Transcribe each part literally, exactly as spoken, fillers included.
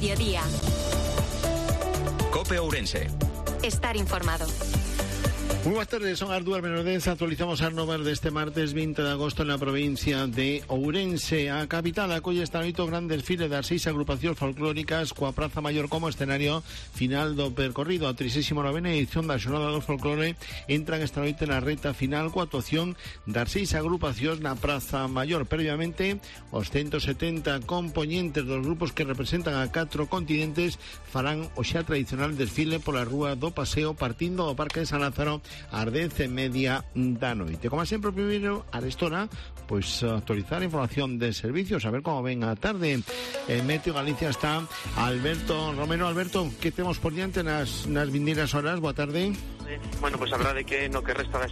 mediodía. COPE Ourense. Estar informado. Muy buenas tardes, son as dúas menos dez. Actualizamos as novas deste martes veinte de agosto en la provincia de Ourense. A capital acolle esta noite o gran desfile das seis agrupacións folclóricas coa Praza Maior como escenario final do percorrido. A trigésima novena edición da Xornada do Folclore entran esta noite na reta final coa actuación das seis agrupacións na Praza Maior. Previamente, os ciento setenta compoñentes dos grupos que representan a catro continentes farán o xa tradicional desfile pola rúa do Paseo partindo do Parque de San Lázaro ás dez e media da noite. Como sempre, primeiro, a restora, pois actualizar a información de servicios, a ver como ven a tarde. En Meteo Galicia está Alberto Romero. Alberto, que temos por diante nas, nas vindeiras horas? Boa tarde. Bueno, pois pues, a verdade que no que resta das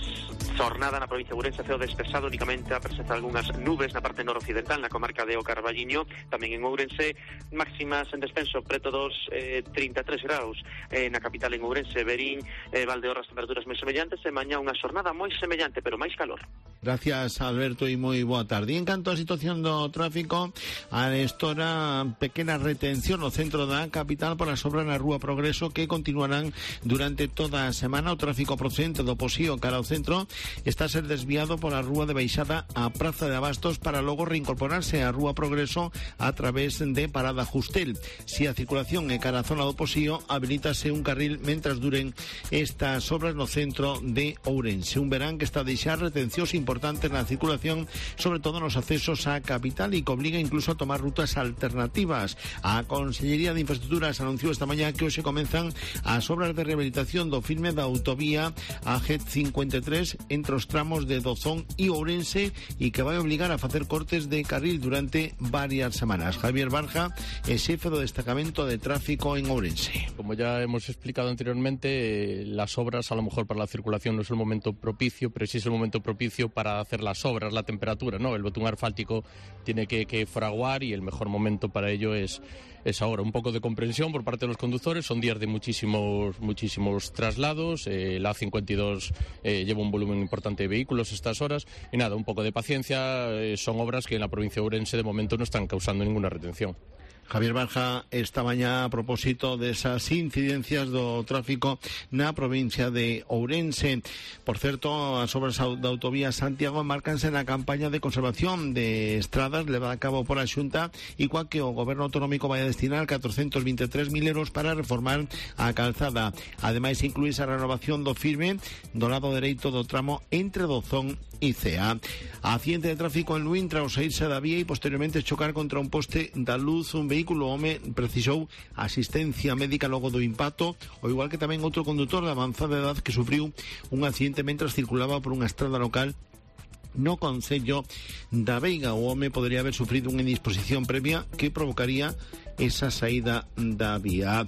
xornada na provincia de Ourense ceo despexado, únicamente a presentar algunhas nubes na parte noroccidental, na comarca de O Carballiño, tamén en Ourense, máximas en descenso preto dos eh, trinta e tres graus eh, na capital en Ourense, Verín, eh, Valdeorras, temperaturas moi semellantes, e mañá unha xornada moi semellante, pero máis calor. Gracias, Alberto, e moi boa tarde. En canto á situación do tráfico, a estora pequena retención no centro da capital por as obras na Rúa Progreso que continuarán durante toda a semana. O tráfico procedente do Posío cara ao centro está a ser desviado pola Rúa de Baixada á Praza de Abastos para logo reincorporarse á Rúa Progreso a través de Parada Justel. Si a circulación é cara a zona do Posío, habilítase un carril mentras duren estas obras no centro de Ourense. Un verán que está a deixar retencións importantes na circulación, sobre todo nos accesos á capital, e que obliga incluso a tomar rutas alternativas. A Consellería de Infraestructuras anunciou esta mañá que hoxe comenzan as obras de rehabilitación do filme da autovía a G cincuenta e tres entre os tramos de Dozón e Ourense, e que vai obligar a facer cortes de carril durante varias semanas. Javier Barja é xefe do destacamento de tráfico en Ourense. Como ya hemos explicado anteriormente, eh, las obras a lo mejor para la circulación no es el momento propicio, pero sí es el momento propicio para hacer las obras, la temperatura, ¿no? El betún asfáltico tiene que, que fraguar y el mejor momento para ello es, es ahora. Un poco de comprensión por parte de los conductores, son días de muchísimos, muchísimos traslados, eh, la A cincuenta y dos eh, lleva un volumen importante de vehículos estas horas, y nada, un poco de paciencia, eh, son obras que en la provincia de Ourense de momento no están causando ninguna retención. Javier Barja esta mañá a propósito desas incidencias do tráfico na provincia de Ourense. Por certo, as obras da autovía Santiago márcanse na campaña de conservación de estradas levada a cabo pola Xunta, e coa que o goberno autonómico vai a destinar catrocentos vinte e tres mil euros para reformar a calzada. Ademais, incluíse a renovación do firme do lado dereito do tramo entre Dozón e Cea. Accidente de tráfico en Luín tras saírse da vía e posteriormente chocar contra un poste da luz. Un vehículo, o home precisou asistencia médica logo do impacto, ao igual que tamén outro condutor de avanzada edad que sufriu un accidente mentras circulaba por unha estrada local no concello da Veiga. O home podería haber sufrido unha indisposición previa que provocaría esa saída da vía.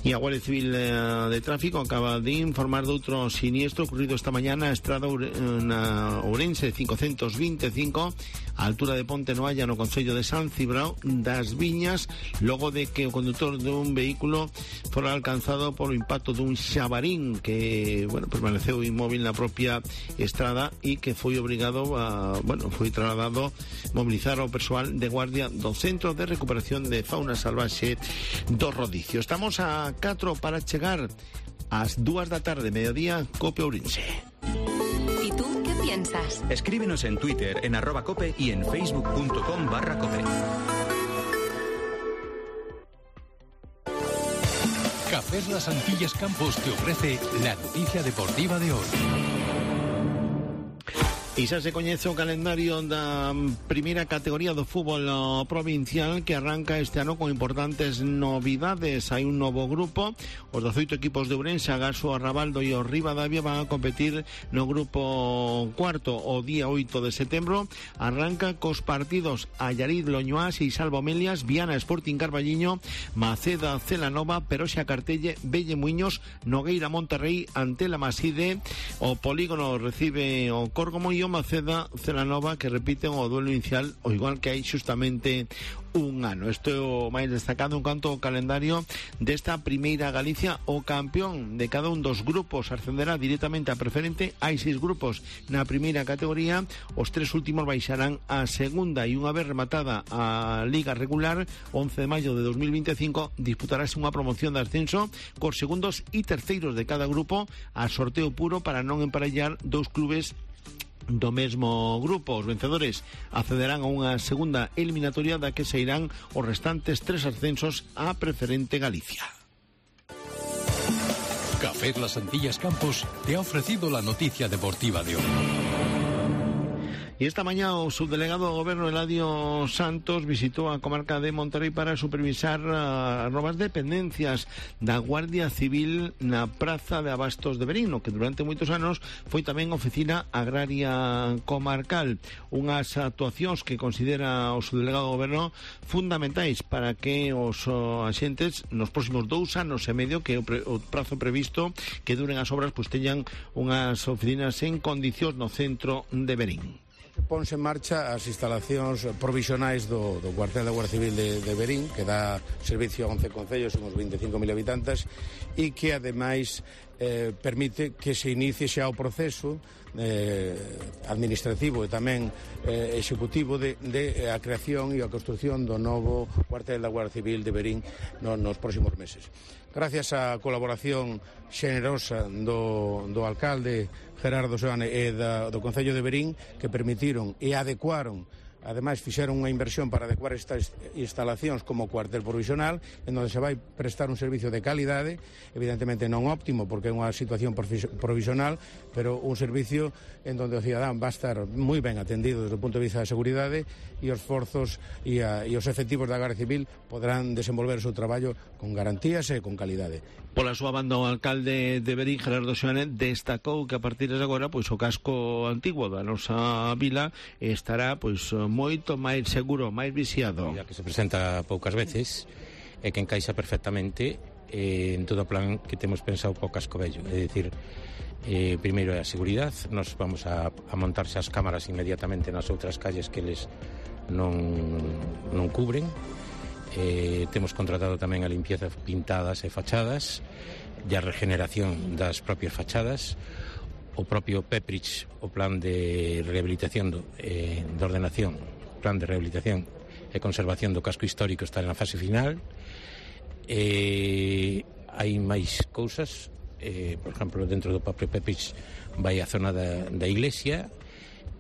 E a Guardia Civil eh, de Tráfico acaba de informar de outro siniestro ocurrido esta mañá na estrada na Ourense cincocentos vinte e cinco, a altura de Ponte Noalla, no concello de San Cibrao das Viñas, logo de que o condutor dun vehículo fora alcanzado por o impacto dun xabarín que, bueno, permaneceu inmóvil na propia estrada e que foi obrigado a, bueno, foi trasladado mobilizar ao persoal de guardia do Centro de Recuperación de Fauna Salvaxe do Rodicio. Estamos a catro para chegar ás dúas da tarde, mediodía, COPE Ourense. ¿Y tú qué piensas? Escríbenos en Twitter, en arroba cope y en facebook.com barra cope. Cafés Las Antillas Campos te ofrece la noticia deportiva de hoy. E xa se coñece o calendario da primeira categoría do fútbol provincial, que arranca este ano con importantes novidades. Hai un novo grupo, os dezoito equipos de Ourense, Agaso, Arrabaldo e o Ribadavia van a competir no grupo cuarto o día oito de setembro. Arranca cos partidos Allariz, Loñoás e Salvo Melias, Viana, Sporting Carballiño, Maceda, Celanova, Peroxa, Cartelle, Velle Muiños, Nogueira, Monterrey, Antela, Maside. O Polígono recibe o Córgomo e Río Maceda, Celanova, que repiten o duelo inicial, o igual que hai xustamente un ano. Isto é o máis destacado en canto ao calendario desta primeira Galicia. O campeón de cada un dos grupos ascenderá directamente a preferente. Hai seis grupos na primeira categoría, os tres últimos baixarán a segunda, e unha vez rematada a liga regular, once de maio de dos mil veinticinco, disputarase unha promoción de ascenso cos segundos e terceiros de cada grupo a sorteo puro para non emparellar dous clubes do mesmo grupo. Os vencedores accederán a unha segunda eliminatoria da que se irán os restantes tres ascensos a preferente Galicia. Café Las Antillas Campos te ha ofrecido la noticia deportiva de hoy. Y esta mañana o subdelegado do Goberno Eladio Santos visitou a comarca de Monterrey para supervisar as novas dependencias da Guardia Civil na Praza de Abastos de Verín, que durante moitos anos foi tamén oficina agraria comarcal. Unhas actuacións que considera o subdelegado do Goberno fundamentais para que os axentes nos próximos dous anos e medio, que é o, pre, o prazo previsto que duren as obras, pois teñan unhas oficinas en condicións no centro de Verín. Ponse en marcha as instalacións provisionais do, do cuartel da Guardia Civil de, de Verín, que dá servicio a once concellos, uns veinticinco mil habitantes, e que ademais eh, permite que se inicie xa o proceso eh, administrativo e tamén eh, executivo de, de a creación e a construción do novo cuartel da Guardia Civil de Verín no, nos próximos meses. Gracias á colaboración xenerosa do, do alcalde Gerardo Seoane e da, do Concello de Verín, que permitiron e adecuaron, ademais fixeron unha inversión para adecuar estas instalacións como cuartel provisional, en onde se vai prestar un servicio de calidade, evidentemente non óptimo porque é unha situación provisional, pero un servicio en onde o cidadán va a estar moi ben atendido desde o punto de vista da seguridade, e os forzos e, a, e os efectivos da Garda Civil poderán desenvolver o seu traballo con garantías e con calidade. Pola súa banda, o alcalde de Verín, Gerardo Seoane, destacou que a partir de agora pois o casco antigo da nosa vila estará pois moito máis seguro, máis vixiado. Ya que se presenta poucas veces e que encaixa perfectamente eh, en todo o plan que temos pensado para o casco vello. É dicir, eh, primeiro é a seguridade. Nos vamos a, a montarse as cámaras inmediatamente nas outras calles que eles non, non cubren. Eh, temos contratado tamén a limpieza pintadas e fachadas e a regeneración das propias fachadas. O propio Peprich, o plan de rehabilitación do, eh, de ordenación, plan de rehabilitación e conservación do casco histórico está na fase final. Eh, hai máis cousas, eh, por exemplo, dentro do propio Peprich vai a zona da, da iglesia,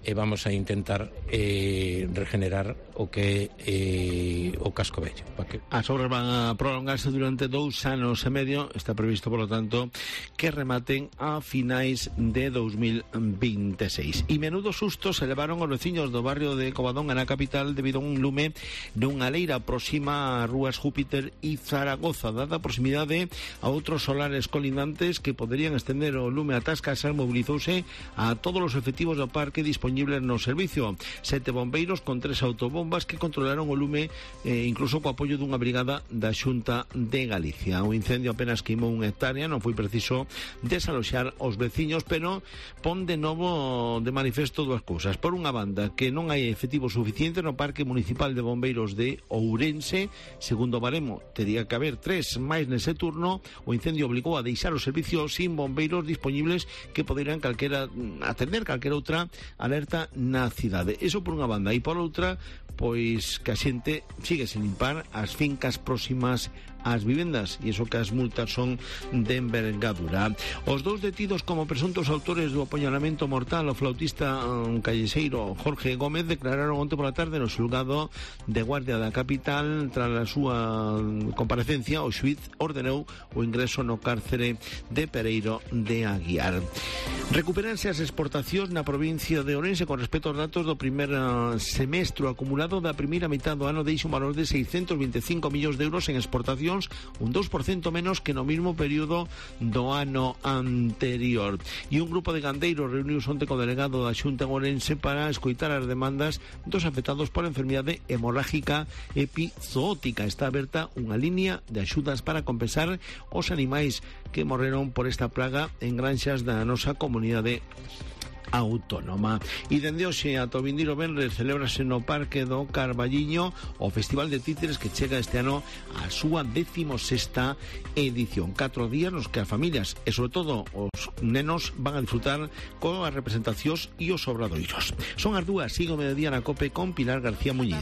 e vamos a intentar eh, regenerar o que é eh, o casco vello. Que... As obras van a prolongarse durante dous anos e medio. Está previsto, por lo tanto, que rematen a finais de dos mil veintiséis. E menudo susto se levaron os veciños do barrio de Covadonga na capital debido a un lume dunha leira próxima a rúas Júpiter e Zaragoza. Dada a proximidade a outros solares colindantes que poderían estender o lume ata as casas, mobilizouse a todos os efectivos do parque disponibles no servicio. Sete bombeiros con tres autobombas que controlaron o lume, eh, incluso co apoio dunha brigada da Xunta de Galicia. O incendio apenas queimou unha hectárea, non foi preciso desaloxar os veciños, pero pon de novo de manifesto dúas cousas. Por unha banda, que non hai efectivo suficiente no Parque Municipal de Bombeiros de Ourense. Segundo baremo, tería que haber tres máis nese turno. O incendio obligou a deixar o servicio sin bombeiros disponibles que poderían calquera atender calquera outra alerta na cidade. Eso por unha banda. E por outra, pois que a xente sigue sen limpar as fincas próximas ás vivendas, e iso que as multas son de envergadura. Os dous detidos como presuntos autores do apuñalamento mortal ao flautista um, callexeiro Jorge Gómez declararon onte pola tarde no xulgado de Guardia da capital. Tras a súa comparecencia, o xuíz ordenou o ingreso no cárcere de Pereiro de Aguiar. Recuperanse as exportacións na provincia de Ourense con respecto aos datos do primer uh, semestre acumulado da primeira mitad do ano. Deixa un valor de seiscentos vinte e cinco millóns de euros en exportacións, un dos por cento menos que no mesmo período do ano anterior. E un grupo de gandeiros reuniuse onte co delegado da Xunta en Ourense para escoitar as demandas dos afectados por enfermidade hemorrágica epizootica. Está aberta unha línea de axudas para compensar os animais que morreron por esta plaga en granxas da nosa comunidade autónoma. E dende hoxe ata o vindeiro venres celébrase no Parque do Carballiño o Festival de Títeres, que chega este ano a súa décimo sexta edición. Catro días nos que as familias e sobre todo os nenos van a disfrutar con as representacións e os obradoiros. Son as dúas, sigo mediodía na COPE con Pilar García Muñiz.